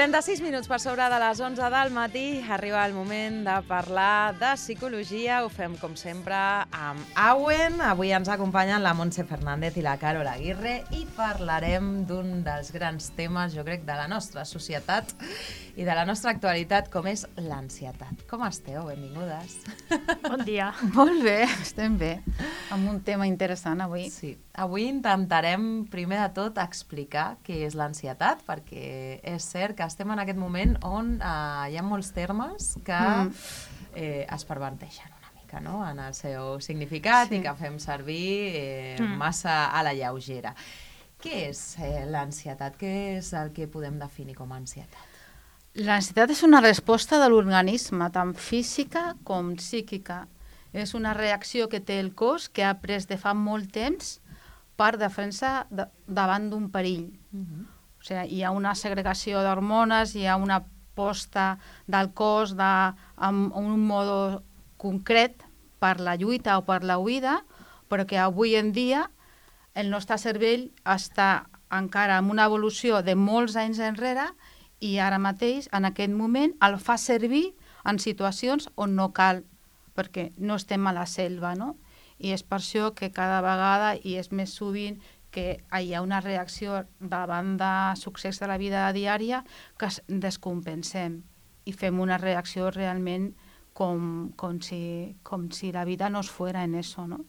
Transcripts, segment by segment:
36 minuts per sobre de les 11 del matí. Arriba el moment de parlar de psicologia. Ho fem, com sempre, amb Auen. Avui ens acompanyen la Montse Fernández i la Carol Aguirre i parlarem d'un dels grans temes, jo crec, de la nostra societat i de la nostra actualitat, com és l'ansietat. Com esteu? Benvingudes. Bon dia. Molt bé, estem bé. Amb un tema interessant avui. Sí. Avui intentarem, primer de tot, explicar què és l'ansietat, perquè és cert que estem en aquest moment on hi ha molts termes que es perverteixen una mica, no?, en el seu significat, i que fem servir massa a la lleugera. Què és l'ansietat? Què és el que podem definir com a ansietat? L'ansietat és una resposta de l'organisme, tant física com psíquica. És una reacció que té el cos que ha pres de fa molt temps per defensa davant d'un perill. O sigui, hi ha una segregació d'hormones, hi ha una posta del cos amb un mode concret per la lluita o per la huida, però que avui en dia el nostre cervell està encara en una evolució de molts anys enrere i ara mateix, en aquest moment, el fa servir en situacions on no cal, perquè no estem a la selva, no? I és per això que cada vegada, i és més sovint, que hi ha una reacció davant de succés de la vida diària que descompensem i fem una reacció realment com si la vida no es fuera en eso, no?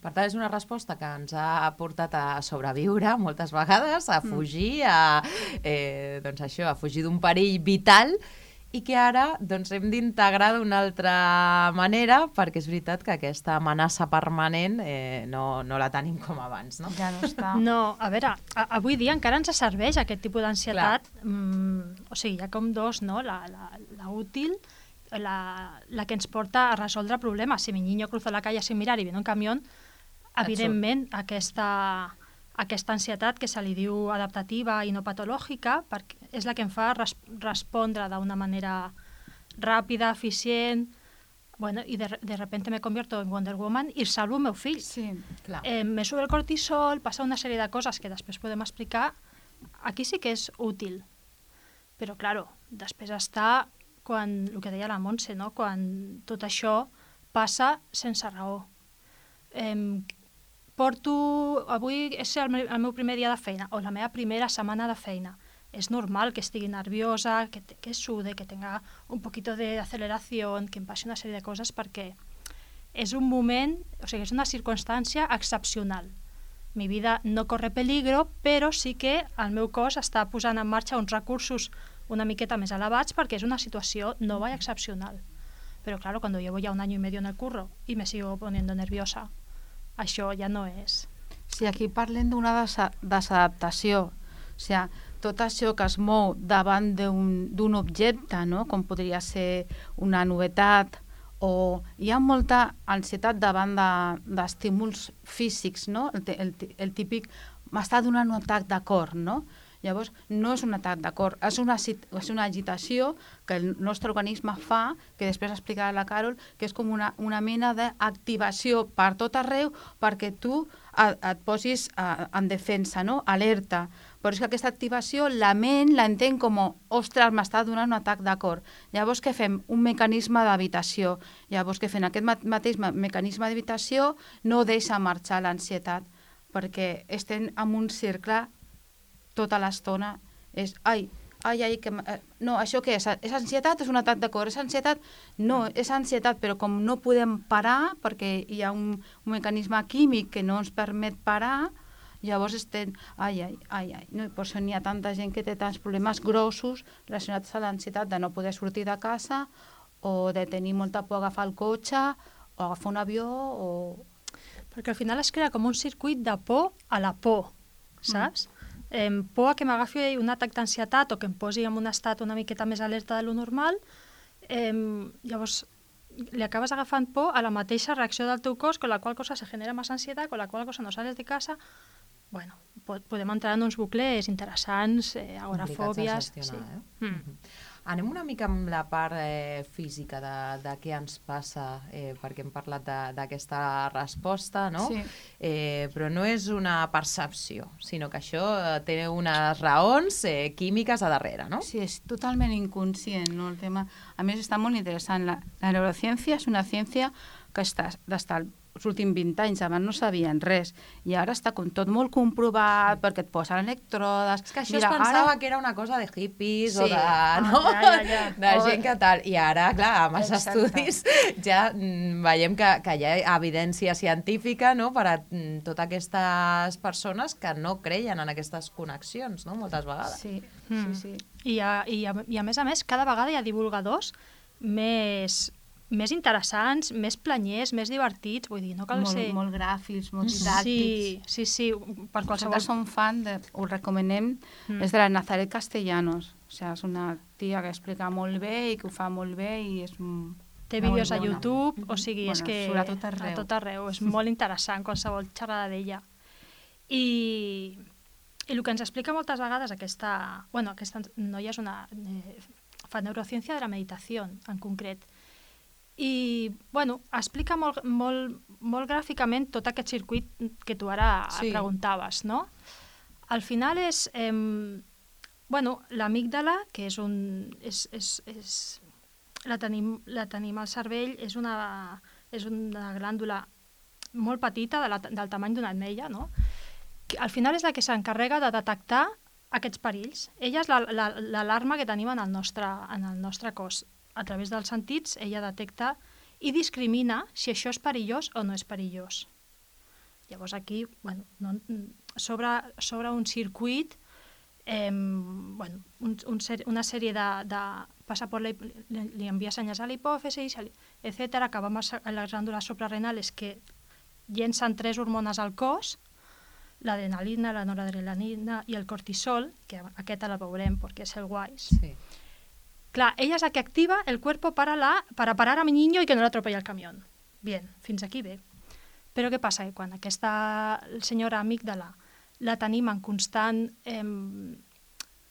Per tant, és una resposta que ens ha portat a sobreviure moltes vegades, a fugir, a fugir d'un perill vital, i que ara hem d'integrar d'una altra manera, perquè és veritat que aquesta amenaça permanent no la tenim com abans, no? Ja no està. No, a veure, avui dia encara ens serveix aquest tipus d'ansietat. O sigui, hi ha com dos, no? La útil, la que ens porta a resoldre problemes. Si mi niño cruza la calle sin mirar y viene un camión, evidentment aquesta ansietat, que se li diu adaptativa i no patològica, és la que em fa respondre d'una manera ràpida, eficient, i de repente me convierto en Wonder Woman i salvo el meu fill. Sí, clar. Me sube el cortisol, passa una sèrie de coses que després podem explicar. Aquí sí que és útil. Però, claro, després està quan, el que deia la Montse, no?, quan tot això passa sense raó. Avui és el meu primer dia de feina o la meva primera setmana de feina. És normal que estigui nerviosa, que sude, que tenga un poquito de aceleració, que em passi una sèrie de coses, perquè és un moment, o sigui, és una circumstància excepcional. Mi vida no corre peligro, però sí que el meu cos està posant en marxa uns recursos una miqueta més elevats perquè és una situació nova i excepcional. Però, claro, cuando llevo ya 1 año y medio en el curro y me sigo poniendo nerviosa, això ja no és. Sí, aquí parlem d'una desadaptació. O sigui, tot això que es mou davant d'un objecte, no?, com podria ser una novetat, o hi ha molta ansietat davant d'estímuls físics, no? El típic, m'està donant un atac de cor, no? Llavors, no és un atac de cor, és una agitació que el nostre organisme fa, que després explicarà la Carol, que és com una mena d'activació per tot arreu perquè tu et posis en defensa, no?, alerta. Però és que aquesta activació, la ment l'entén com, ostres, m'està donant un atac de cor. Llavors, què fem? Un mecanisme d'evitació. Llavors, què fem? Aquest mateix mecanisme d'evitació no deixa marxar l'ansietat, perquè estem en un cercle tota l'estona. És, no, això què és? És ansietat? És un atac de cor? És ansietat? No, és ansietat, però com no podem parar, perquè hi ha un mecanisme químic que no ens permet parar, llavors estem, no? Per això n'hi ha tanta gent que té tants problemes grossos relacionats a l'ansietat de no poder sortir de casa o de tenir molta por a agafar el cotxe o agafar un avió Perquè al final es crea com un circuit de por a la por, saps? Por a que m'agafi un atac d'ansietat o que em posi en un estat una miqueta més alerta de lo normal, llavors li acabes agafant por a la mateixa reacció del teu cos, con la qual cosa se genera més ansietat, con la qual cosa no sales de casa. Bueno, podem entrar en uns bucles interessants, agorafòbies. Complicats de gestionar, Anem una mica amb la part física de què ens passa, perquè hem parlat d'aquesta resposta, no? Sí. Però no és una percepció, sinó que això té unes raons químiques a darrere, no? Sí, és totalment inconscient, no, el tema. A més, està molt interessant. La neurociència és una ciència que està els últims 20 anys, abans no sabien res, i ara està com tot molt comprovat, perquè et posen elèctrodes... És que això es pensava que era una cosa de hippies o de, Ja. de gent que tal, i ara, clar, amb els estudis ja veiem que hi ha evidència científica, no?, per a totes aquestes persones que no creien en aquestes connexions, no?, moltes vegades. Sí. I a més, cada vegada hi ha divulgadors més interessants, més planyers, més divertits, vull dir, no cal ser... Molt gràfics, molt didàctics. Sí, per qualsevol... Nosaltres som fan, ho recomanem, és de la Nazaret Castellanos. O sigui, és una tia que explica molt bé i que ho fa molt bé i és... Té vídeos a YouTube, o sigui, és que... Surt a tot arreu. A tot arreu, és molt interessant qualsevol xerrada d'ella. I el que ens explica moltes vegades aquesta noia és una... fa neurociència de la meditació, en concret. I, explica molt gràficament tot aquest circuit que tu ara preguntaves, no? Al final és... l'amígdala, que és un... la tenim al cervell, és una glàndula molt petita, del tamany d'una ametlla, no? Al final és la que s'encarrega de detectar aquests perills. Ella és l'alarma que tenim en el nostre cos. A través dels sentits, ella detecta i discrimina si això és perillós o no és perillós. Llavors aquí, sobre un circuit, una sèrie de passa per li envia senyals a la hipòfisi, etc., acaba amb les glàndules suprarrenales que llencen 3 hormones al cos, l'adrenalina, la noradrenalina i el cortisol, que aquest la veurem perquè és el WISE. Sí. Claro, ella es la que activa el cuerpo para parar a mi niño y que no le atropelle el camión. Bien, fins aquí bé. Però què passa? Que quan aquesta senyora amígdala la tenim en constant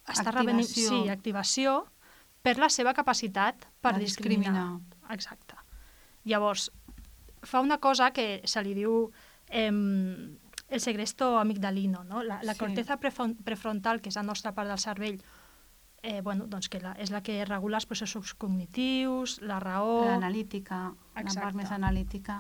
activació per la seva capacitat per discriminar. Exacte. Llavors, fa una cosa que se li diu el segresto amigdalino, no? La corteza prefrontal, que és la nostra part del cervell, que és la que regula els processos cognitius, la raó... L'analítica, la part més analítica.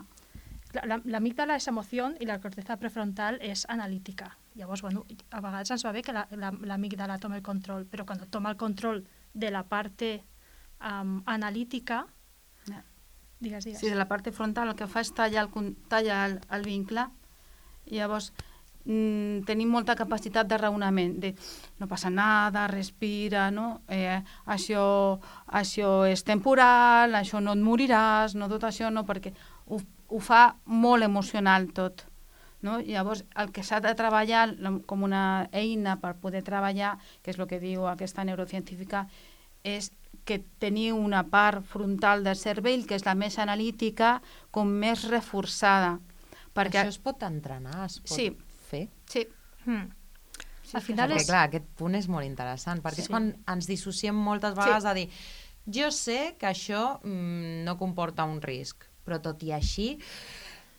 L'amígdala és emoció i la corteza prefrontal és analítica. Llavors, a vegades ens va bé que l'amígdala toma el control, però quan toma el control de la part analítica... Digues. Sí, de la part frontal el que fa és tallar el vincle. Llavors... tenim molta capacitat de raonament, de no passa nada, respira, no? Això és temporal, això no et moriràs, no tot això, no, perquè ho fa molt emocional tot. No? Llavors, el que s'ha de treballar com una eina per poder treballar, que és el que diu aquesta neurocientífica, és que teniu una part frontal del cervell, que és la més analítica, com més reforçada. Perquè... Això es pot entrenar, es pot... Sí. fer? Sí. Al final perquè, clar, aquest punt és molt interessant, perquè és quan ens dissociem moltes vegades a dir jo sé que això no comporta un risc, però tot i així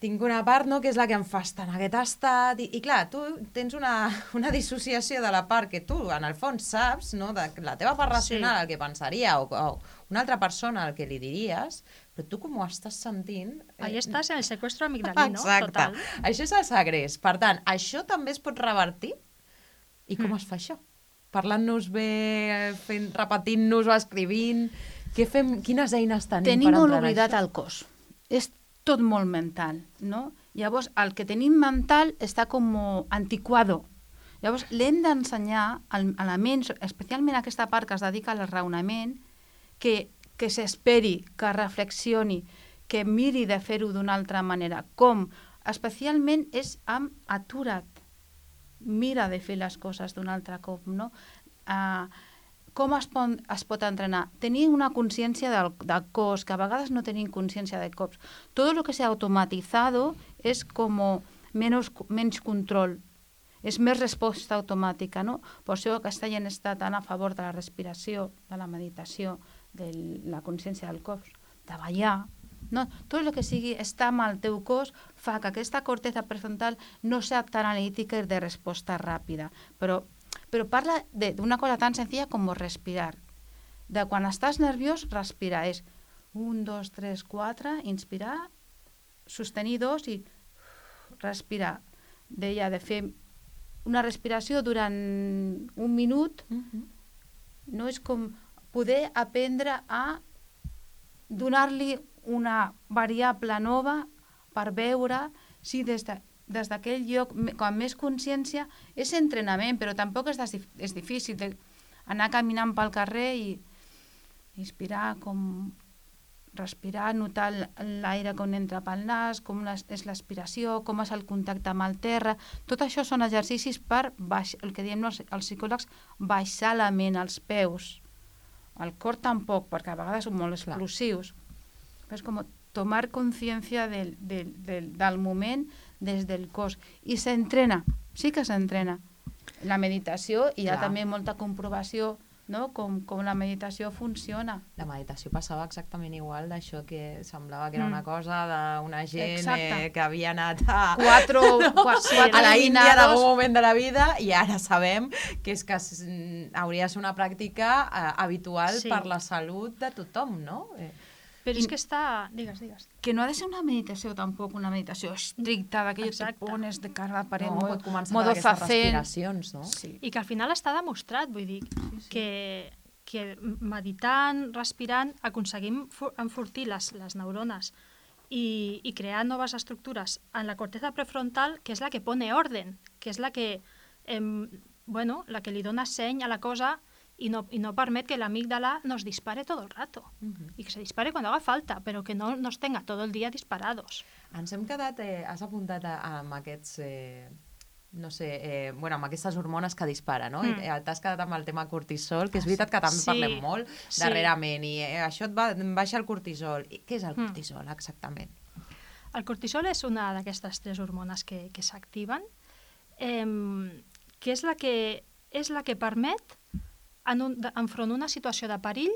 tinc una part, no, que és la que em fa estar en aquest estat, i clar, tu tens una dissociació de la part que tu, en el fons, saps, no, de la teva part racional, el que pensaria, o una altra persona el que li diries, però tu com ho estàs sentint... Ahí estàs en el seqüestro amigdalino, exacte. Total. Això és el segrest. Per tant, això també es pot revertir? I com es fa això? Parlant-nos bé, repetint-nos o escrivint... Què fem? Quines eines tenim per entrenar això? Tenim molt oblidat el cos. És tot molt mental, no? Llavors, el que tenim mental està com antiquado. Llavors, l'hem d'ensenyar a la ment, especialment aquesta part que es dedica al raonament, que s'esperi, que reflexioni, que miri de fer-ho d'una altra manera. Com? Especialment és amb atura't. Mira de fer les coses d'un altre cop, no? Com es pot entrenar? Tenir una consciència del cos, que a vegades no tenim consciència del cos. Tot el que s'ha automatitzat és com menys control. és més resposta automàtica, no? Per això aquesta gent està tan a favor de la respiració, de la meditació, de la consciència del cos, de ballar, no? Tot el que sigui estar amb el teu cos fa que aquesta corteza prefrontal no sigui tan analítica i de resposta ràpida, però parla d'una cosa tan senzilla com respirar. De quan estàs nerviós, respirar. És 1, 2, 3, 4, inspirar, sostenir 2 i respirar. Deia de fer una respiració durant 1 minut, no és com poder aprendre a donar-li una variable nova per veure si des d'aquell lloc, com més consciència, és entrenament, però tampoc és difícil anar caminant pel carrer i inspirar, com respirar, notar l'aire com entra pel nas, com és l'aspiració, com és el contacte amb el terra. Tot això són exercicis per, el que diem els psicòlegs, baixar la ment, els peus. El cor tampoc, perquè a vegades són molt explosius. Però és com tomar consciència del moment des del cos. I s'entrena, sí que s'entrena. La meditació, hi ha també molta comprovació, no? Com la meditació funciona. La meditació passava exactament igual d'això que semblava que era una cosa d'una gent que havia anat a la Índia en algun moment de la vida i ara sabem que és que hauria de ser una pràctica habitual per la salut de tothom, no? Però és que està... Digues. Que no ha de ser una meditació tampoc, una meditació estricta, d'aquelles que pones de cara a la paret, no, pot començar per aquestes respiracions, no? Sí. I que al final està demostrat, vull dir, que meditant, respirant, aconseguim enfortir les neurones i crear noves estructures en la corteza prefrontal, que és la que pone orden, que és la que, la que li dona seny a la cosa y no permet que l'amígdala nos dispare todo el rato. Y que se dispare cuando haga falta, pero que no nos tenga todo el día disparados. Ens hem quedat, has apuntat amb aquests, amb aquestes hormones que disparen, no? T'has quedat amb el tema cortisol, que és veritat que també parlem molt darrerament, i això et baixa el cortisol. Què és el cortisol, exactament? El cortisol és una d'aquestes 3 hormones que s'activen, que és la que permet enfront d'una situació de perill,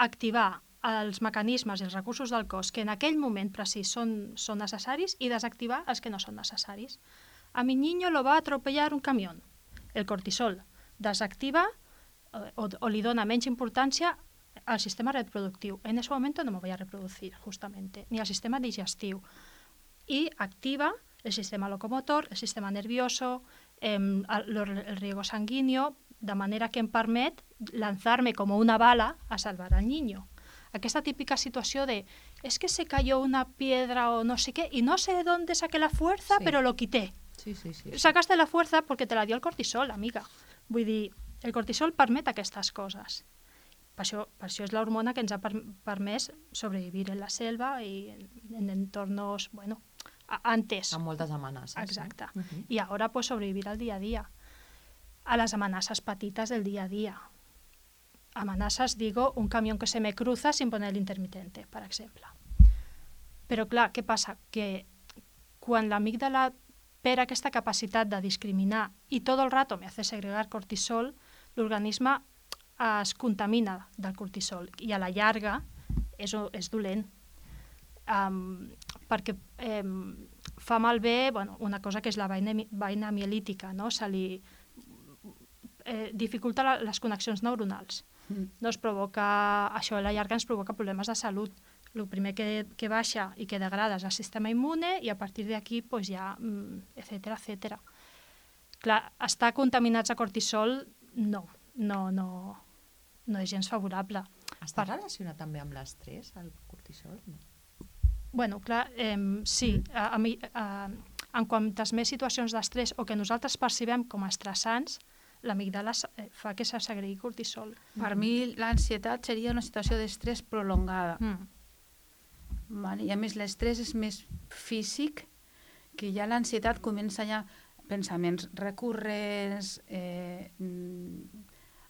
activar els mecanismes i els recursos del cos que en aquell moment precís són necessaris i desactivar els que no són necessaris. A mi niño lo va a atropellar un camión. El cortisol desactiva o li dona menys importància al sistema reproductiu. En ese momento no me voy a reproducir, justamente, ni al sistema digestiu. Y activa el sistema locomotor, el sistema nervioso, el riego sanguíneo, de manera que em permet lanzarme como una bala a salvar al niño. Aquesta típica situació de es que se cayó una piedra o no sé qué y no sé de dónde saqué la fuerza, pero lo quité. Sí. Sacaste la fuerza porque te la dio el cortisol, amiga. Vull dir, el cortisol permet aquestes coses. Per això és l'hormona que ens ha permès sobrevivir en la selva i en entornos, antes. Amb moltes amenaces. Exacte. I ara pues sobrevivir al dia a dia. A las amenazas petites del día a día. Amenazas, digo, un camión que se me cruza sin poner el intermitente, per exemple. Però clar, què passa? Que quan l'amígdala perd aquesta capacitat de discriminar i tot el rato me hace segregar cortisol, l'organisme es contamina del cortisol i a la llarga és dolent. Perquè fa malbé una cosa que és la vaina mielítica, no? Se li dificulta les connexions neuronals. No es provoca, això a la llarga ens provoca problemes de salut. El primer que baixa i que degrada és el sistema immune i a partir d'aquí ja, etcètera. Clar, estar contaminats a cortisol no és gens favorable. Està relacionat també amb l'estrès, el cortisol? Bueno, clar, sí. En quantes més situacions d'estrès o que nosaltres percebem com a estressants, l'amígdala fa que se segregui cortisol. Per mi l'ansietat seria una situació d'estrès prolongada. I a més l'estrès és més físic, que ja l'ansietat comença ja pensaments recurrents,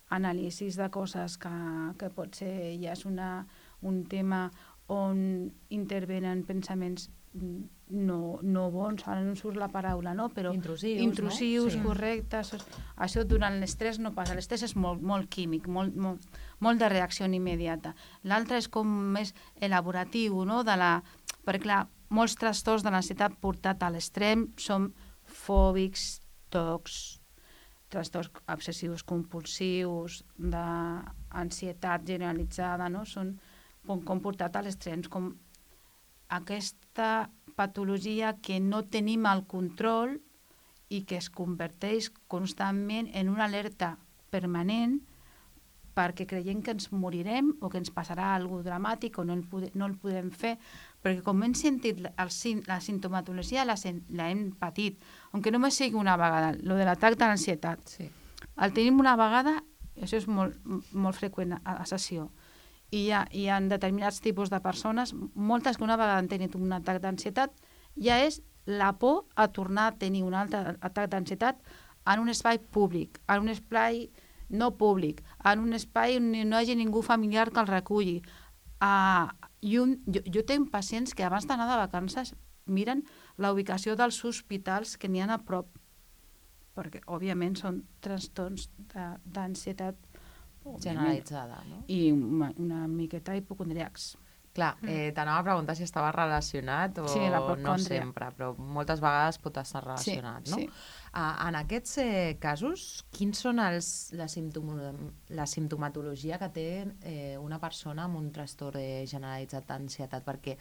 anàlisis de coses que potser ja és un tema on intervenen pensaments no bons, ara no em surt la paraula, no? Però intrusius, no? correctes. Això durant l'estrès no passa. L'estrès és molt químic, molt de reacció immediata. L'altre és com més elaboratiu, no? Perquè, clar, molts trastorns de l'ansietat portat a l'extrem són fòbics, TOCs, trastorns obsessius compulsius, d'ansietat generalitzada, no? Són com portat a l'extrem, com aquesta patologia que no tenim el control i que es converteix constantment en una alerta permanent perquè creiem que ens morirem o que ens passarà alguna cosa dramàtic o no el podem fer, perquè com hem sentit la sintomatologia l'hem patit, aunque només sigui una vegada, lo de l'atac de l'ansietat. Sí. El tenim una vegada, això és molt freqüent a sessió, i hi ha determinats tipus de persones, moltes que una vegada han tingut un atac d'ansietat, ja és la por a tornar a tenir un altre atac d'ansietat en un espai públic, en un espai no públic, en un espai on no hi hagi ningú familiar que el reculli. Jo tinc pacients que abans d'anar de vacances miren la ubicació dels hospitals que n'hi ha a prop, perquè òbviament són trastorns d'ansietat generalitzada, no? I una miqueta hipocondriacs. Clar, t'anava a preguntar si estava relacionat o no sempre, però moltes vegades pot estar relacionat, no? Sí. En aquests casos, quins són la simptomatologia que té una persona amb un trastorn generalitzat d'ansietat? Perquè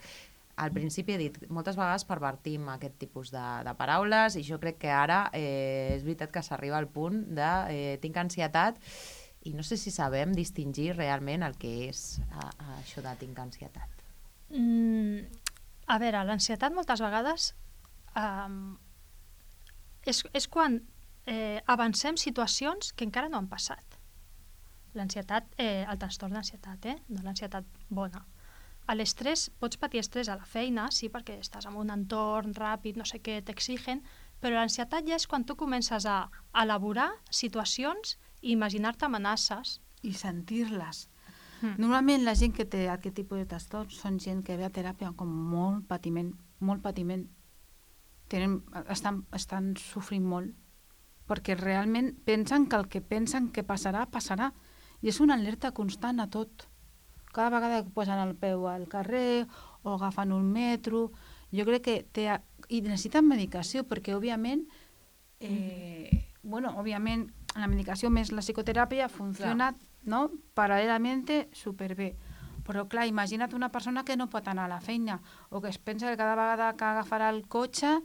al principi he dit, moltes vegades pervertim aquest tipus de paraules i jo crec que ara és veritat que s'arriba al punt de tinc ansietat i no sé si sabem distingir realment el que és això de tinc ansietat. A veure, l'ansietat moltes vegades és quan avancem situacions que encara no han passat. L'ansietat, el trastorn d'ansietat, no l'ansietat bona. A l'estrès, pots patir estrès a la feina, sí, perquè estàs en un entorn ràpid, no sé què, t'exigen, però l'ansietat ja és quan tu comences a elaborar situacions i imaginar-te amenaces. I sentir-les. Normalment la gent que té aquest tipus de trastorns són gent que ve a teràpia com molt patiment. Estan sofrint molt, perquè realment pensen que el que pensen que passarà, passarà. I és una alerta constant a tot. Cada vegada que posen el peu al carrer o agafen un metro, jo crec que i necessiten medicació, perquè òbviament òbviament la medicació més la psicoteràpia funciona, no? Paral·lelament superbé. Però clar, imagina't una persona que no pot anar a la feina o que es pensa que cada vegada que agafarà el cotxe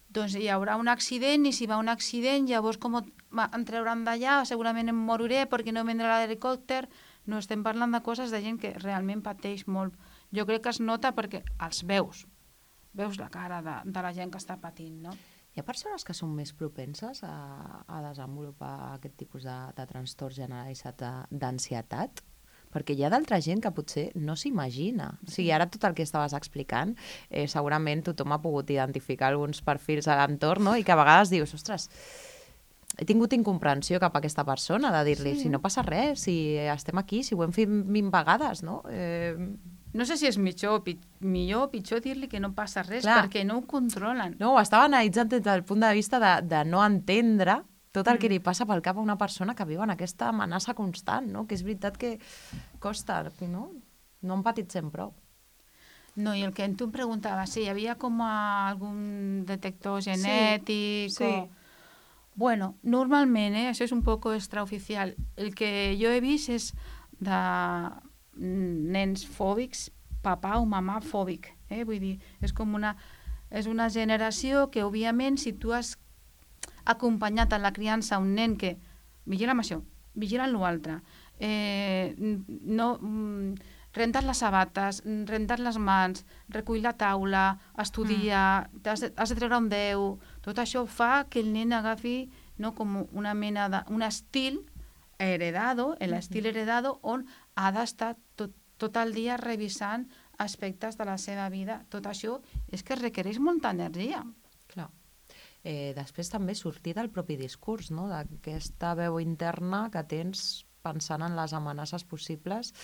doncs hi haurà un accident i si va un accident llavors com em trauran d'allà, segurament em moriré perquè no vendrà l'helicòpter. No estem parlant de coses de gent que realment pateix molt. Jo crec que es nota perquè els veus la cara de la gent que està patint, no? Hi ha persones que són més propenses a desenvolupar aquest tipus de trastorn generalitzat d'ansietat? Perquè hi ha d'altra gent que potser no s'imagina. O sigui, ara tot el que estaves explicant, segurament tothom ha pogut identificar alguns perfils a l'entorn, no? I que a vegades dius, ostres, he tingut incomprensió cap a aquesta persona de dir-li, si no passa res, si estem aquí, si ho hem fet 20 vegades, no? No sé si és millor o pitjor dir-li que no passa res, perquè no ho controlen. No, ho estava analitzant des del punt de vista de no entendre tot el que li passa pel cap a una persona que viu en aquesta amenaça constant, no? Que és veritat que costa, no? No empatitzem prou. No, i el que tu em preguntaves, si hi havia com algun detector genètic sí. Bueno, normalment, això és un poc extraoficial. El que jo he vist és de nens fòbics, papà o mamà fòbic. Vull dir, és una generació que, òbviament, si tu has acompanyat en la criança un nen que vigila amb això, vigila amb l'altre, renta't les sabates, renta't les mans, recull la taula, estudia, has de treure un 10, tot això fa que el nen agafi com una mena d'un estil heredado, l'estil heredado on ha d'estar tot el dia revisant aspectes de la seva vida. Tot això és que requereix molta energia. Clar. Després també sortir del propi discurs, no? D'aquesta veu interna que tens pensant en les amenaces possibles,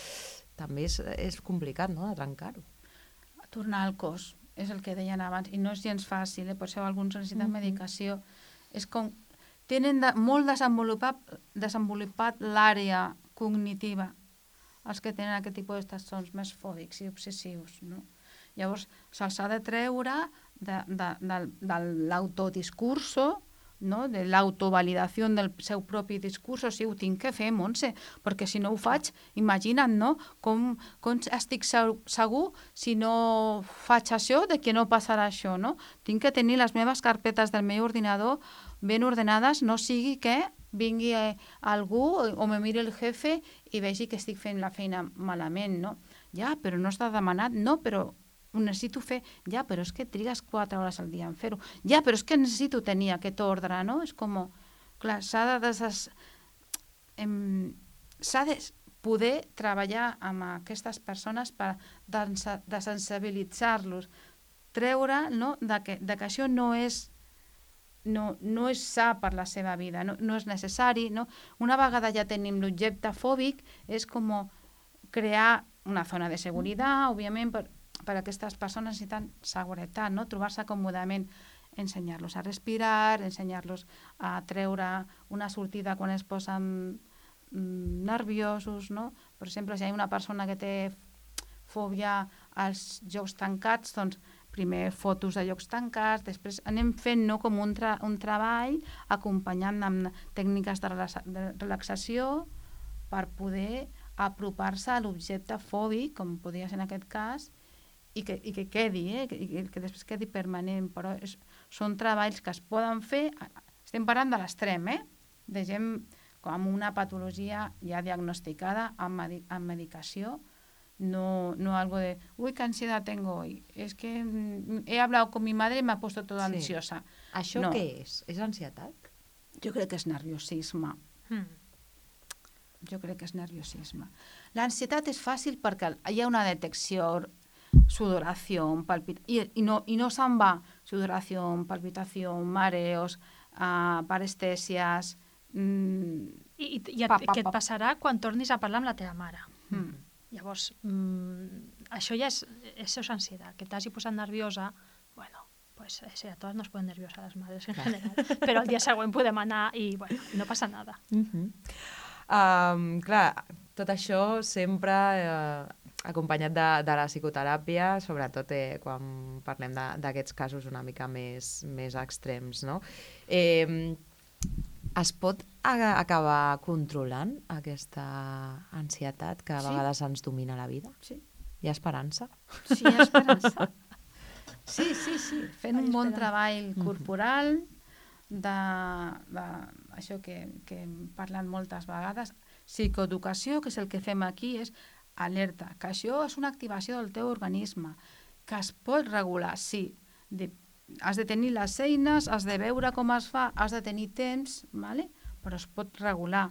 també és complicat, no?, de trencar-ho. Tornar al cos, és el que deien abans, i no és gens fàcil, per això alguns necessiten medicació. És com... Tenen molt desenvolupat l'àrea cognitiva, els que tenen aquest tipus de trastorns més fòbics i obsessius, no? Llavors, se'ls ha de treure de l'autodiscurso, no? De l'autovalidació del seu propi discurs. Sí, ho tinc que fer, Montse, perquè si no ho faig, imagina't, no? Com estic segur si no faig això, de que no passarà això, no? Tinc que tenir les meves carpetes del meu ordinador ben ordenades, no sigui que vingui algú o me miri el jefe i vegi que estic fent la feina malament, no? Ja, però no està demanat, no, però ho necessito fer. Ja, però és que trigues 4 hores al dia en fer-ho. Ja, però és que necessito tenir aquest ordre, no? És com... Clar, s'ha de poder treballar amb aquestes persones per desensibilitzar-los, treure, no?, que això no és sa per la seva vida, no és necessari, no? Una vegada ja tenim l'objecte fòbic, és com crear una zona de seguretat, òbviament, per a aquestes persones necessiten seguretat, no? Trobar-se còmodament, ensenyar-los a respirar, ensenyar-los a treure una sortida quan es posen nerviosos, no? Per exemple, si hi ha una persona que té fòbia als llocs tancats, doncs primer fotos de llocs tancats, després anem fent, no?, com un treball acompanyant amb tècniques de relaxació per poder apropar-se a l'objecte fòbic, com podria ser en aquest cas, i que quedi, i que després quedi permanent. Però són treballs que es poden fer, estem parlant de l'extrem, de gent amb una patologia ja diagnosticada amb medicació, no algo de, uy, qué ansiedad tengo hoy, es que he hablado con mi madre y me ha puesto toda ansiosa. Això què és? És ansietat? Jo crec que és nerviosisme. Jo crec que és nerviosisme. L'ansietat és fàcil perquè hi ha una detecció, sudoració, i no se'n va sudoració, palpitació, mareos, parestèsies... I què et passarà quan tornis a parlar amb la teva mare? Llavors, això ja és ansietat, que t'hagi posat nerviosa, bueno, pues a totes nos ponen nerviosas les madres en general, però el dia següent podem anar i, bueno, no passa nada. Clar, tot això sempre acompanyat de la psicoteràpia, sobretot quan parlem d'aquests casos una mica més extrems, no? Es pot acabar controlant aquesta ansietat que a vegades ens domina la vida? Sí. Hi ha esperança? Sí, hi ha esperança. Sí. Fent un bon treball corporal, això que hem parlat moltes vegades, psicoeducació, que és el que fem aquí, és alerta, que això és una activació del teu organisme, que es pot regular, sí, has de tenir les eines, has de veure com es fa, has de tenir temps, ¿vale? Però es pot regular.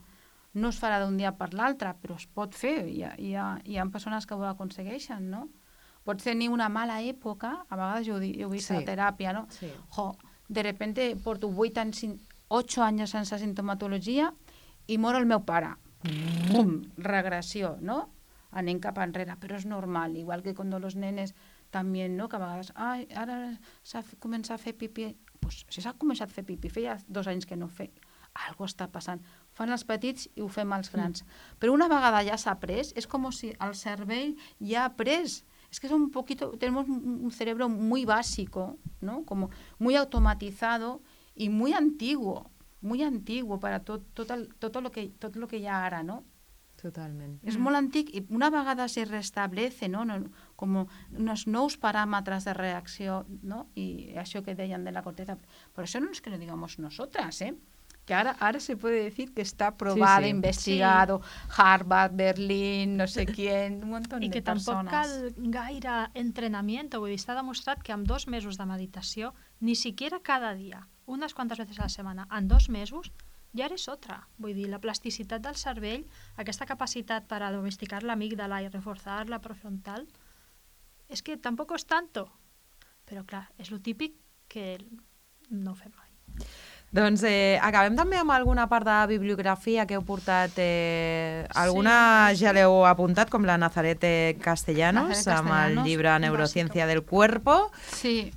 No es farà d'un dia per l'altre, però es pot fer. Hi ha persones que ho aconsegueixen, no? Pots tenir una mala època, a vegades jo ho he vist a teràpia, no? Sí. De repente porto 8 anys sense sintomatologia i mor el meu pare. Bum, regressió, no? Anem cap enrere, però és normal, igual que quan els nenes també, no? Que a vegades, ara s'ha començat a fer pipí. Pues, si s'ha començat a fer pipí, feia 2 anys que no feia. Algo està passant. Fan els petits i ho fem els grans. Però una vegada ja s'ha après, és com si el cervell ja ha après. Es que es tenemos un cerebro muy básico, ¿no? Como muy automatizado y muy antiguo para todo lo que hi ha ara, no? Totalment. És molt antic i una vegada se restablece, no? Com uns nous paràmetres de reacció, no? I això que deien de la corteza. Por eso no es que lo digamos nosotras, que ahora se puede decir que está probado, investigado, Harvard, Berlín, no sé quién, un montón de persones. I que tampoc cal gaire entrenament, vull dir, està demostrat que amb 2 mesos de meditació, ni siquiera cada dia, unes quantes veces a la setmana, en 2 mesos, ja eres otra. Vull dir, la plasticitat del cervell, aquesta capacitat per a domesticar l'amígdala i reforçar la prefrontal, és que tampoc és tanto. Però clar, és lo típic que no ho fem mai. Doncs acabem també amb alguna part de bibliografia que heu portat. Alguna ja l'heu apuntat, com la Nazareth Castellanos, amb el llibre Neurociencia del Cuerpo. Sí,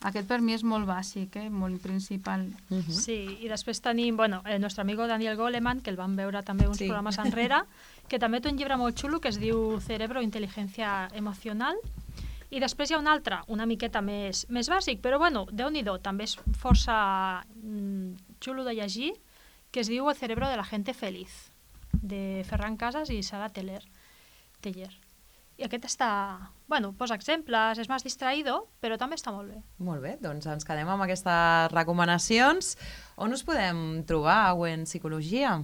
aquest per mi és molt bàsic, molt principal. Sí, i després tenim el nostre amigo Daniel Goleman, que el vam veure també uns programes enrere, que també té un llibre molt xulo que es diu Cerebro, Inteligencia Emocional. I després hi ha un altre, una miqueta més bàsic, però Déu-n'hi-do, també és força xulo de llegir, que es diu El cerebro de la gente feliz, de Ferran Casas i Sara Teller. I aquest està... posa exemples, és més distraïdo, però també està molt bé. Molt bé, doncs ens quedem amb aquestes recomanacions. On us podem trobar, en Psicologia?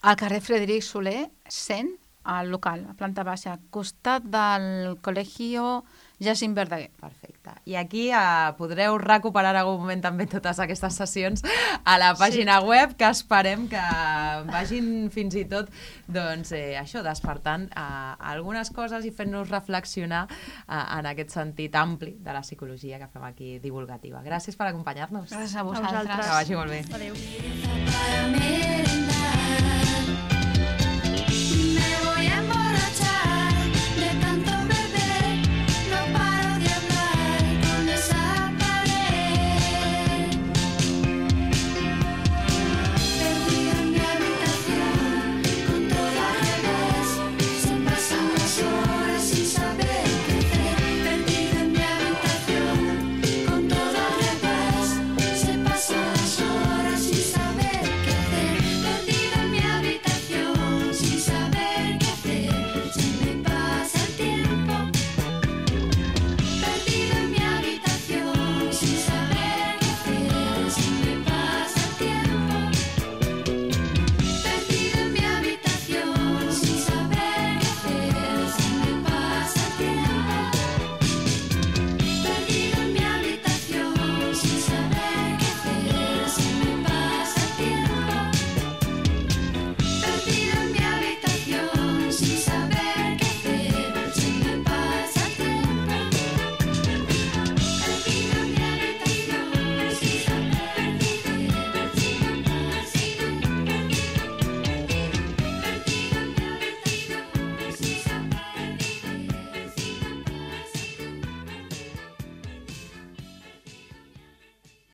Al carrer Frederic Soler, 100, al local, a planta baixa, costat del Col·legio Jacint Verdaguer. Perfecte. I aquí podreu recuperar en algun moment també totes aquestes sessions a la pàgina web, que esperem que vagin fins i tot despertant algunes coses i fent-nos reflexionar en aquest sentit ampli de la psicologia que fem aquí divulgativa. Gràcies per acompanyar-nos. Gràcies a vosaltres. Que vagi molt bé. Adéu.